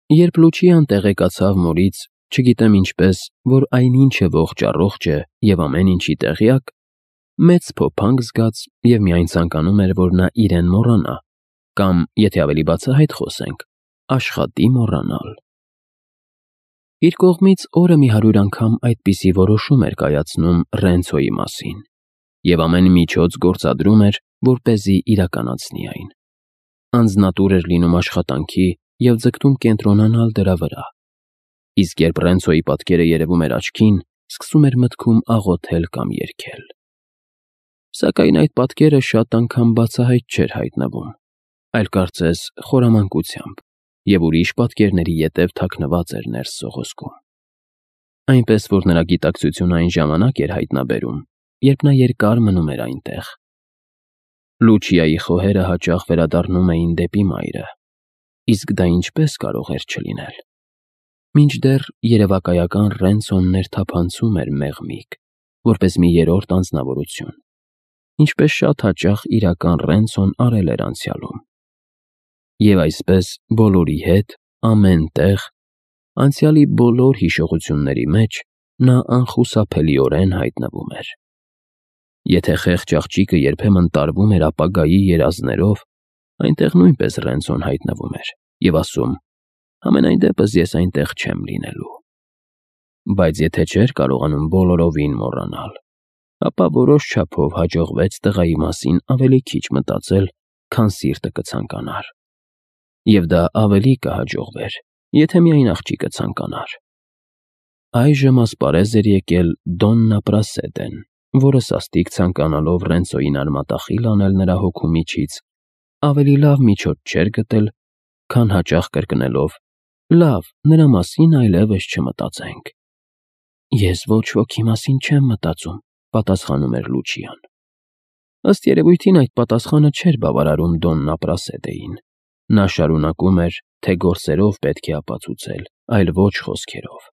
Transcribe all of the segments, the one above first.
Երբ Լուչիան տեղեկացավ մորից, չգիտեմ ինչպես, որ այնինչև ողջ է և ամեն ինչի տեղյակ, մեծ փոփանք զգաց և միայն ցանկանում էր, որ նա իրեն մոռանա, կամ, եթե ավելի բացահայտ խոսենք, աշխատի մոռանալ։ Իր կողմից օրը մի 100 անգամ այդպիսի որոշում էր կայացնում Ռենցոյի մասին, և ամեն միջոց գործադրում էր, որպեսզի իրականացնի այն։ Անձնատուր էր լինում աշխատանքի և ձգտում կենտրոնանալ դրա վրա, իսկ երբ Ռենցոյի պատկերը երևում էր աչքին, սկսում էր մտքում աղոթել կամ երգել։ Սակայն այդ պատկերը շատ անգամ բացահայտ չէր հայտնվում, այլ կարծես խորամանկությամբ, և ուրիշ պատկերների ետև թաքնված էր ներս սողոսկում։ Այնպես որ նրա գիտակցությունը այն ժամանակ էր հայտնաբերում, երբ նա երկար մնում էր այնտեղ։ Լուչիայի խոհերը հաճախ վերադառնում էին դեպի մայրը, իսկ դա ինչպես կարող էր չլինել։ Մինչդեռ երևակայական Ռենցոն ներթափանցում էր մեղմիկ, որպես մի երրորդ անձնավորություն, ինչպես շատ հաճախ իրական Ռենցոն արել էր անցյալում։ Եվ այսպես բոլորի հետ, ամեն տեղ, անցյալի բոլոր հիշողությունների մեջ նա անխուսափելիորեն հայտնվում էր։ Եթե խեղճ աղջիկը երբեմն տարվում էր ապագայի երազներով, այնտեղ նույնպես Ռենցոն հայտնվում էր և ասում. «Համենայն դեպս ես այնտեղ չեմ լինելու»։ Բայց եթե չէր կարողանում բոլորովին մոռանալ, ապա որոշ չափով հաջողվեց տղայի մասին ավելի քիչ մտածել, քան սիրտը կցանկանար։ Եվ դա ավելի կհաջողվեր, եթե միայն աղջիկը ցանկանար։ Այժմ ասպարեզ էր եկել Դոննա Պրասեդեն, որը սաստիկ ցանկանալով Ռենցոյին արմատախիլ անել նրա հոգու միջից, ավելի լավ միջոց չէր գտել, քան հաճախ կրկնելով. «Լավ, նրա մասին այլևս չմտածենք»։ «Ես ոչ ոքի մասին չեմ մտածում», պատասխանում էր Լուչիան։ Ըստ երևույթին այդ պատասխանը չէր բավարարում Դոննա Պրասեդեին։ Նա շարունակում էր, թե գործերով պետք է ապացուցել, այլ ոչ խոսքերով։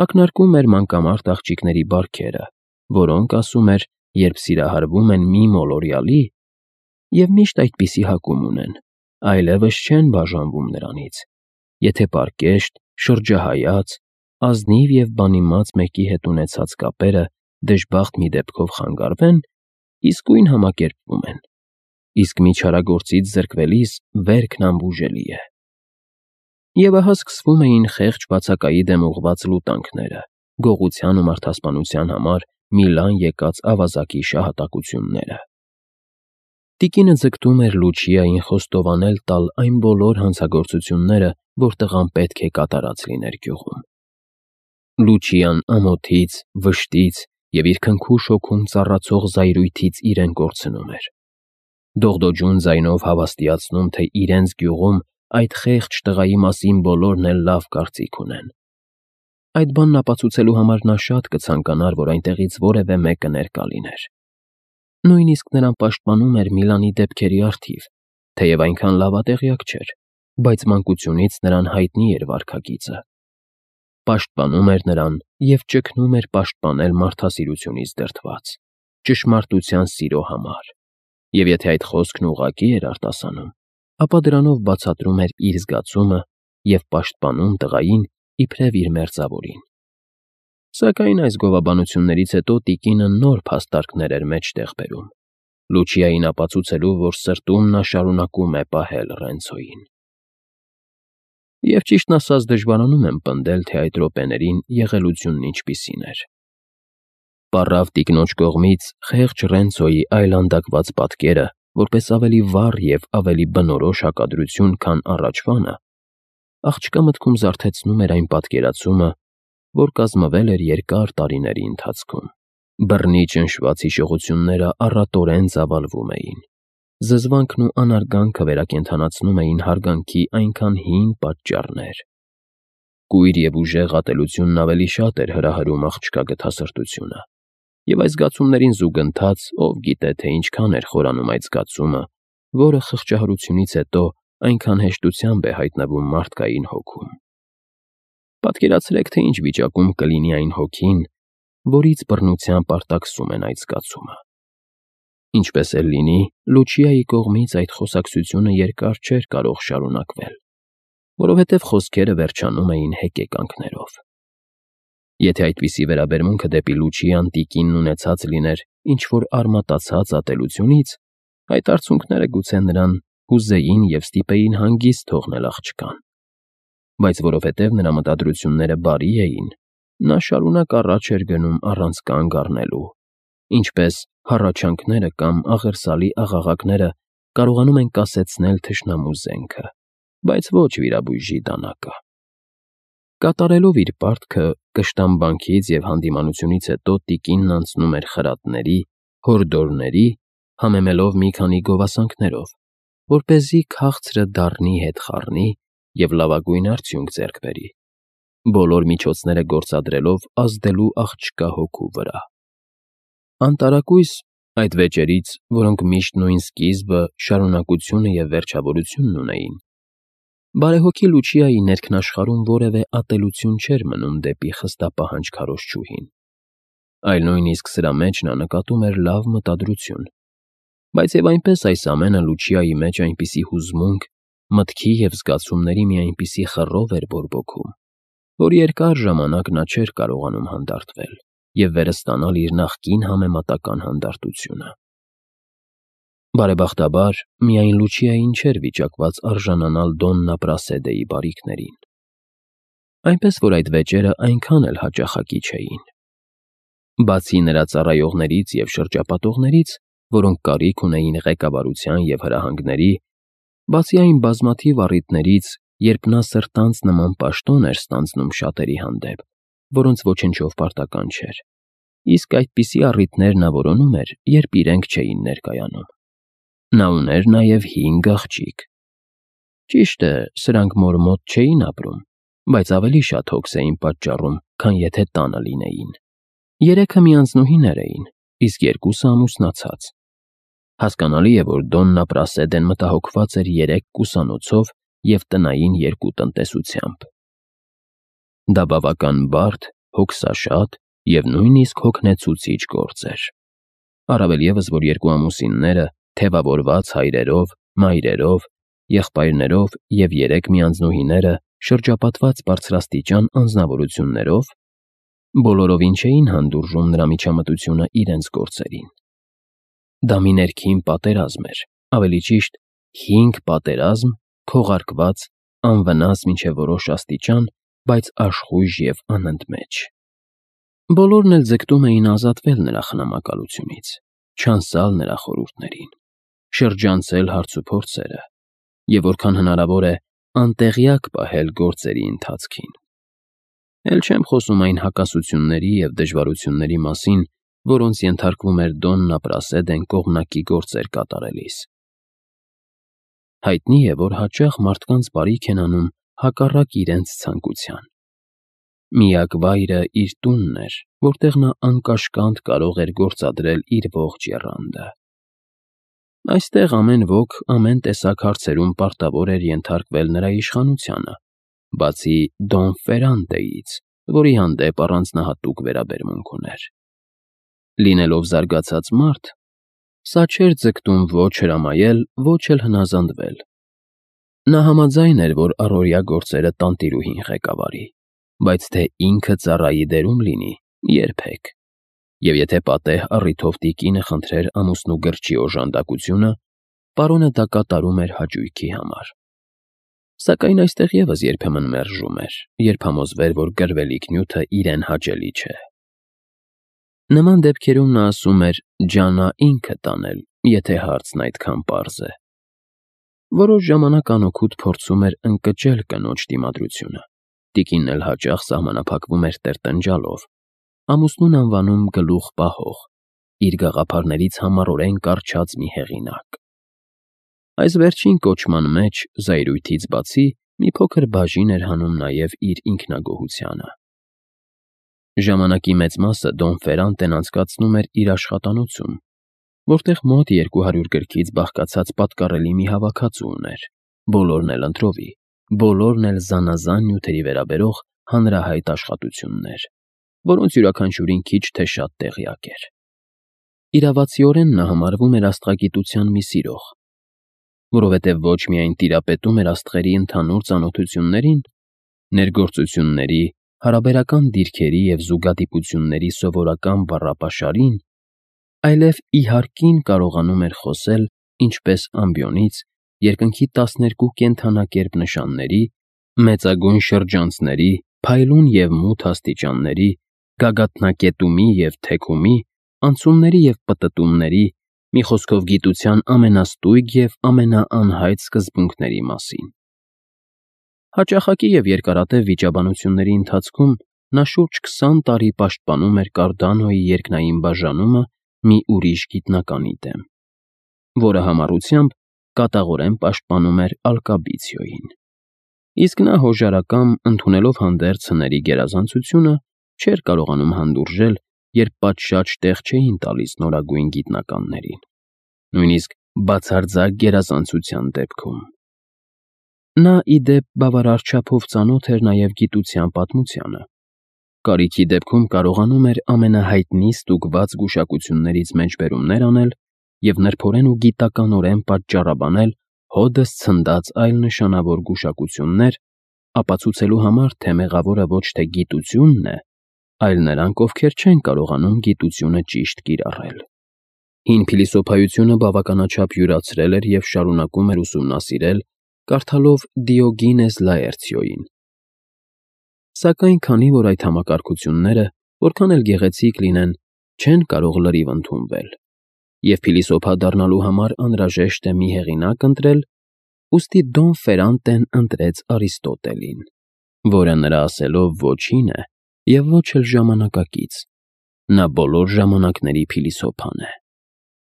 Ակնարկում էր մանկամարտ աղջիկների բարքերը, որոնք, ասում էր, երբ սիրահարվում են մի մոլորյալի, և միշտ այդպիսի հակում ունեն, այլևս չեն բաժանվում նրանից, եթե պարկեշտ, շրջահայաց, ազնիվ և բանիմաց մեկի հետ ունեցած կապերը դժբախտ մի դեպքով խանգարվեն, իսկույն համակերպվում են, իսկ մի չարագործից զրկվելիս վերքն անբուժելի է։ Եվ ահա սկսվում էին խեղճ բացակայի դեմ ուղղված լուտանքները, գողության ու մարդասպանության համար Միլան եկած ավազակի շահատակությունները։ Տիկինը ձգտում էր Լուչիային խոստովանել տալ այն բոլոր հանցագործությունները, որ տղան պետք է կատարած լիներ գյուղում։ Լուչիան ամոթից, վշտից և իր քնքուշ հոգում ծառացող զայրույթից իրեն կորցնում էր։ Դողդոջուն ձայնով հավաստիացնում, թե իրենց գյուղում այդ խեղճ տղայի մասին բոլորն էլ լավ կարծիք ունեն։ Այդ բանն ապացուցելու համար նա շատ կցանկանար, որ այնտեղից որևէ մեկը ներկա լիներ։ Նույնիսկ նրան պաշտպանում էր Միլանի դեպքերի առթիվ, թեև այնքան լավատեղյակ չէր, բայց մանկությունից նրան հայտնի էր վարքագիծը։ Պաշտպանում էր նրան և ճգնում էր պաշտպանել մարդասիրությունից դրդված, ճշմարտության սիրո համար, և եթե այդ խոսքն ուղղակի էր արտասանում, ապա դրանով բացատրում էր իր զգացումը և պաշտպանում տղային իբրև իր մերձավորին։ Սակայն այս գովաբանություններից հետո տիկինը նոր փաստարկներ էր մեջտեղ բերում, Լուչիային ապացուցելու, որ սրտում նա շարունակում է պահել Ռենցոյին։ Եվ ճիշտն ասած դժվարանում եմ պնդել, թե այդ րոպեներին եղելությունն ինչպիսին էր։ Պառավ տիկնոջ կողմից խեղճ Ռենցոյի այլանդակված պատկերը, որպես ավելի վառ և ավելի բնորոշ հակադրություն, քան առաջվանը, աղջկա մտքում զարթեցնում էր այն պատկերացումը, որ կազմվել էր երկար տարիների ընթացքում։ Բռնի ճնշված հիշողությունները առատորեն ծավալվում էին։ Զզվանքն ու անարգանքը վերակենդանացնում էին հարգանքի այնքան հին պատճառներ։ Կույր և ուժեղ ատելությունն ավելի շատ էր հրահրում աղջկա գթասրտությունը, և այս զգացումներին զուգընթաց, ով գիտե, թե ինչքան էր խորանում այդ զգացումը, որը խղճահարությունից հետո այնքան հեշտությամբ է հայտնվում մարդկային հոգում։ Պատկերացրեք, թե ինչ վիճակում կլինի այն հոգին, որից բռնությամբ արտաքսում են այդ զգացումը։ Ինչպես էլ լինի, Լուչիայի կողմից այդ խոսակցությունը երկար չէր կարող շարունակվել։ որովհետև խոսքերը վերջանում էին հեկեկանքներով։ Եթե այդպիսի վերաբերմունքը դեպի Լուչիան տիկինն ունեցած լիներ ինչ-որ արմատացած ատելությունից, այդ արցունքները գուցե նրան հուզեին և ստիպեին հանգիստ թողնել աղջկան։ Բայց որովհետև նրա մտադրությունները բարի էին, նա շարունակ առաջ էր գնում առանց կանգ առնելու, ինչպես հառաչանքները կամ աղերսալի աղաղակները կարողանում են կասեցնել թշնամու զենքը, բայց ոչ վիրաբույժի դանակը։ Կատարելով իր պարտքը, կշտամբանքից և հանդիմանությունից հետո տիկինն անցնում էր խրատների, հորդորների, համեմելով մի քանի գովասանքներով, որպեսզի քաղցրը դառնի հետ խառնի և լավագույն արդյունք ձեռք բերի, բոլոր միջոցները գործադրելով ազդելու աղջկա հոգու վրա։ Անտարակույս այդ վեճերից, որոնք միշտ նույն սկիզբը, շարունակությունը և վերջավորությունն ունեին, բարեհոգի Լուչիայի ներքնաշխարհում որևէ ատելություն չէր մնում դեպի խստապահանջ քարոզչուհին, այլ նույնիսկ սրա մեջ նա նկատում էր լավ մտադրություն, բայց և այնպես այս ամենը Լուչիայի մեջ այնպիսի հուզմունք, մտքի և զգացումների մի այնպիսի խռով էր բորբոքում, որ երկար ժամանակ նա չէր կարողանում հանդարտվել և վերստանալ իր նախկին համեմատական հանդարտությունը։ Բարեբախտաբար, միայն Լուչիային չէր վիճակված արժանանալ Դոննա Պրասեդեի բարիքներին, այնպես որ այդ վեճերը այնքան էլ հաճախակի չէին։ Բացի նրա ծառայողներից և շրջապատողներից, որոնք կարիք ունեին ղեկավարության և հրահանգների, բացի այն բազմաթիվ առիթներից, երբ նա սրտանց նման պաշտոն էր ստանձնում շատերի հանդեպ, որոնց ոչնչով պարտական չէր, իսկ այդպիսի առիթներ նա որոնում էր, երբ իրենք չէին ներկայանում։ Նա ուներ նաև 5 աղջիկ։ Ճիշտ է, սրանք մոր մոտ չէին ապրում, բայց ավելի շատ հոգս էին պատճառում, քան եթե տանը լինեին։ 3-ը միանձնուհիներ էին, իսկ 2-ը ամուսնացած։ Հասկանալի է, որ Դոննա Պրասեդեն մտահոգված էր 3 կուսանոցով և տնային 2 տնտեսությամբ։ Դա բավական բարդ, հոգսաշատ և նույնիսկ հոգնեցուցիչ գործ էր։ Առավել ևս, որ 2 ամուսինները, թևավորված հայրերով, մայրերով, եղբայրներով և 3 միանձնուհիները շրջապատված բարձրաստիճան անձնավորություններով, բոլորովին չէին հանդուրժում նրա միջամտությունը իրենց գործերին։ Դա մի ներքին պատերազմ էր, ավելի ճիշտ 5 պատերազմ, քողարկված, անվնաս մինչև որոշ աստիճան, բայց աշխույժ և անընդմեջ։ Բոլորն էլ ձգտում էին ազատվել նրա խնամակալությունից, չանցալ նրա խորհուրդներին, շրջանցել հարցուփորձերը և որքան հնարավոր է անտեղյակ պահել գործերի ընթացքին։ Էլ չեմ խոսում այն հակասությունների և դժվարությունների մասին, որոնց ենթարկվում էր Դոննա Պրասեդեն կողմնակի գործեր կատարելիս։ Հայտնի է, որ հաճախ մարդկանց բարիք են անում հակառակ իրենց ցանկության։ Միակ վայրը իր տունն էր, որտեղ նա անկաշկանդ կարող էր գործադրել իր ողջ եռանդը։ Այստեղ ամեն ոք ամեն տեսակ հարցերում պարտավոր էր ենթարկվել նրա իշխանությանը, բացի Դոն Ֆերրանտեից, որի հանդեպ առանձնահատուկ վերաբերմունք ուներ։ Լինելով զարգացած մարդ, սա չէր ձգտում ոչ հրամայել, ոչ էլ հնազանդվել։ Նա համաձայն էր, որ առօրյա գործերը տանտիրուհին ղեկավարի, բայց թե ինքը ծառայի դերում լինի, երբեք։ Եվ եթե պատեհ առիթով տիկինը խնդրեր ամուսնու գրչի օժանդակությունը, պարոնը դա կատարում էր հաճույքի համար։ Սակայն այստեղ ևս երբեմն մերժում էր, երբ համոզվեր, որ գրվելիք նյութը իրեն հաճելի չէ։ Նման դեպքերում նա ասում էր ջանա ինքը տանել, եթե հարցն այդքան պարզ է։ Որոշ ժամանակ անօգուտ փորձում էր ընկճել կնոջ դիմադրությունը։ Տիկինն էլ հաճախ սահմանափակվում էր տրտնջալով, ամուսնուն անվանում գլուխ֊պահող, իր գաղափարներից համառորեն կառչած մի հեղինակ։ Այս վերջին կոչման մեջ, զայրույթից բացի, մի փոքր բաժին էր հանում նաև իր ինքնագոհությանը։ Ժամանակի մեծ մասը Դոն Ֆերրանտեն անցկացնում էր իր աշխատանոցում, որտեղ մոտ 200 գրքից բաղկացած պատկառելի մի հավաքածու ուներ, բոլորն էլ ընտրովի, բոլորն էլ զանազան նյութերի վերաբերող հանրահայտ աշխատություններ, որոնց յուրաքանչյուրին քիչ թե շատ տեղյակ էր։ Իրավացիորեն նա համարվում էր աստղագիտության մի սիրող, որովհետև ոչ միայն տիրապետում էր աստղերի ընդհանուր ծանոթություններին, ներգործությունների, հարաբերական դիրքերի և զուգադիպությունների սովորական բառապաշարին, այլև իհարկին կարողանում էր խոսել ինչպես ամբիոնից, երկնքի 12 կենդանակերպ նշանների, մեծագույն շրջանցների, փայլուն և մութ աստիճանների, գագաթնակետումի և թեքումի, անցումների և պտտումների, մի խոսքով գիտության ամենաստույգ և ամենաանհայտ սկզբունքների մասին։ Հաճախակի և երկարատև վիճաբանությունների ընթացքում նա շուրջ 20 տարի պաշտպանում էր Կարդանոյի երկնային բաժանումը մի ուրիշ գիտնականի դեմ, որը համառությամբ կատաղորեն պաշտպանում էր Ալկաբիցիոյին։ Իսկ նա հոժարակամ, ընդունելով հանդերձ հների գերազանցությունը, չէր կարողանում հանդուրժել, երբ պատշաճ տեղ չէին տալիս նորագույն գիտնականներին, նույնիսկ բացարձակ գերազանցության դեպքում։ Նա, ի դեպ, բավարար չափով ծանոթ էր նաև գիտության պատմությանը։ Կարիքի դեպքում կարողանում էր ամենահայտնի ստուգված գուշակություններից մեջբերումներ անել և նրբորեն ու գիտականորեն պատճառաբանել հօդս ցնդած այլ նշանավոր գուշակություններ, ապացուցելու համար, թե մեղավորը ոչ թե գիտությունն է, այլ նրանք, ովքեր չեն կարողանում գիտությունը ճիշտ կիրառել։ Հին փիլիսոփայությունը բավականաչափ յուրացրել էր և շարունակում էր ուսումնասիրել, կարդալով Դիոգինես Լաերցիոյին։ Սակայն քանի որ այդ համակարգությունները, որքան էլ գեղեցիկ լինեն, չեն կարող լրիվ ընդունվել, և փիլիսոփա դառնալու համար անհրաժեշտ է մի հեղինակ ընտրել, ուստի Դոն Ֆերանտեն ընտրեց Արիստոտելին, որը նրա ասելով ոչինչ է և ոչ էլ ժամանակակից, նա բոլոր ժամանակների փիլիսոփան է։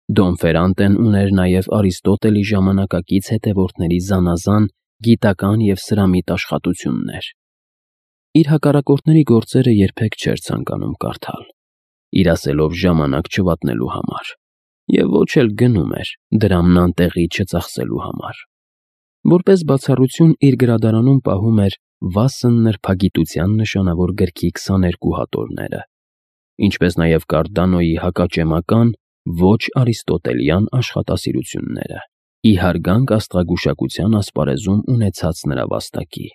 Դոն Ֆերանտեն ուներ նաև Արիստոտելի ժամանակակից հետևորդների զանազան գիտական և սրամիտ աշխատություններ։ Իր հակառակորդների գործերը երբեք չէր ցանկանում կարդալ, իր ասելով ժամանակ չվատնելու համար, և ոչ էլ գնում էր դրամն անտեղի չծախսելու համար։ Որպես բացառություն իր գրադարանում պահում էր վասն նրբագիտության նշանավոր գրքի 22 հատորները, ինչպես նաև Կարդանոյի հակաճեմական, ոչ արիստոտելյան աշխատասիրությունները, ի հարգանք աստղագուշակության ասպարեզում ունեցած նրա վաստակի։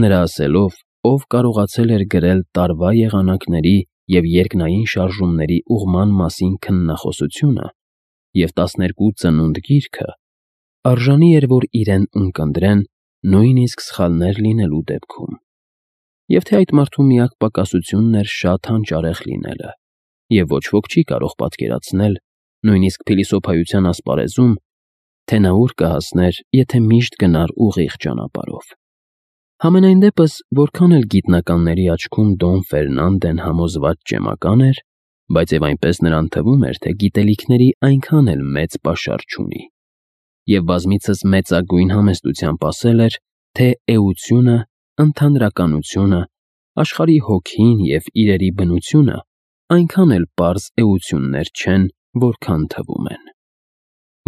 Նրա ասելով, ով կարողացել էր գրել տարվա եղանակների և երկնային շարժումների ուղղման մասին քննախոսությունը և 12 ծնունդ գիրքը, արժանի էր, որ իրեն ունկնդրեն նույնիսկ սխալներ լինելու դեպքում, և թե այդ մարդու միակ պակասությունն էր շատ հանճարեղ լինելը, և ոչ ոք չի կարող պատկերացնել, նույնիսկ փիլիսոփայության ասպարեզում, թե նա ուր կհասներ, եթե միշտ գնար ուղիղ ճանապարհով։ Համենայն դեպս, որքան էլ գիտնականների աչքում Դոն Ֆերնանդեն համոզված ճեմական էր, բայց և այնպես նրան թվում էր, թե գիտելիքների այնքան էլ մեծ պաշար չունի, և բազմիցս մեծագույն համեստությամբ ասել էր, թե էությունը, ընդհանրականությունը, աշխարհի հոգին և իրերի բնությունը այնքան էլ պարզ էություններ չեն, որքան թվում են։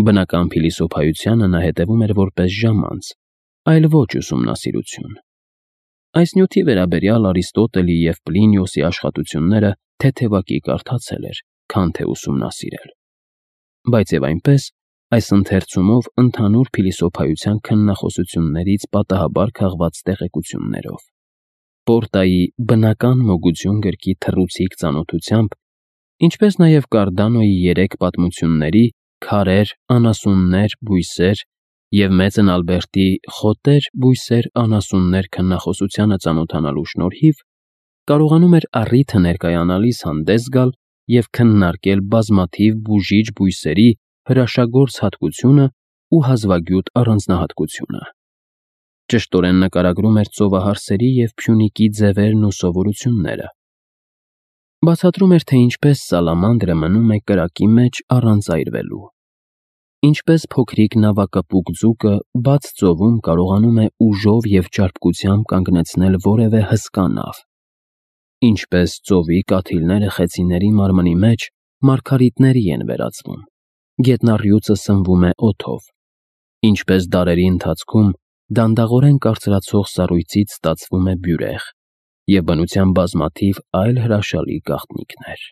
Բնական փիլիսոփայությանը նա հետևում էր որպես ժամանց, այլ ոչ ուսումնասիրություն։ Այս նյութի վերաբերյալ Արիստոտելի և Պլինիոսի աշխատությունները թեթևակի կարդացել էր, քան թե ուսումնասիրել։ Բայց և այնպես, այս ընթերցումով ընդհանուր փիլիսոփայության քննախոսություններից պատահաբար քաղված տեղեկություններով, Պորտայի «Բնական մոգություն» գրքի թռուցիկ ծանոթությամբ, ինչպես նաև Կարդանոյի 3 պատմությունների «Քարեր, անասուններ, բույսեր» և Մեծն Ալբերտի «Խոտեր, բույսեր, անասուններ» քննախոսությանը ծանոթանալու շնորհիվ, կարողանում էր առիթը ներկայանալիս հանդես գալ և քննարկել բազմաթիվ բուժիչ բույսերի հրաշագործ հատկությունը ու հազվագյուտ առանձնահատկությունը։ Ճշտորեն նկարագրում էր ծովահարսերի և Փյունիկի ձևերն ու սովորությունները։ Բացատրում էր, թե ինչպես սալամանդրը մնում է կրակի մեջ առանց այրվելու, ինչպես փոքրիկ նավակպուկ ձուկը բաց ծովում կարողանում է ուժով և ճարպկությամբ կանգնեցնել որևէ հսկա նավ, ինչպես ծովի կաթիլները խեցիների մարմնի մեջ մարգարիտների են վերածվում, գետնառյուծը սնվում է օդով, ինչպես դարերի ընթացքում դանդաղորեն կարծրացող սառույցից ստացվում է բյուրեղ և բնության բազմաթիվ այլ հրաշալի գաղտնիքներ։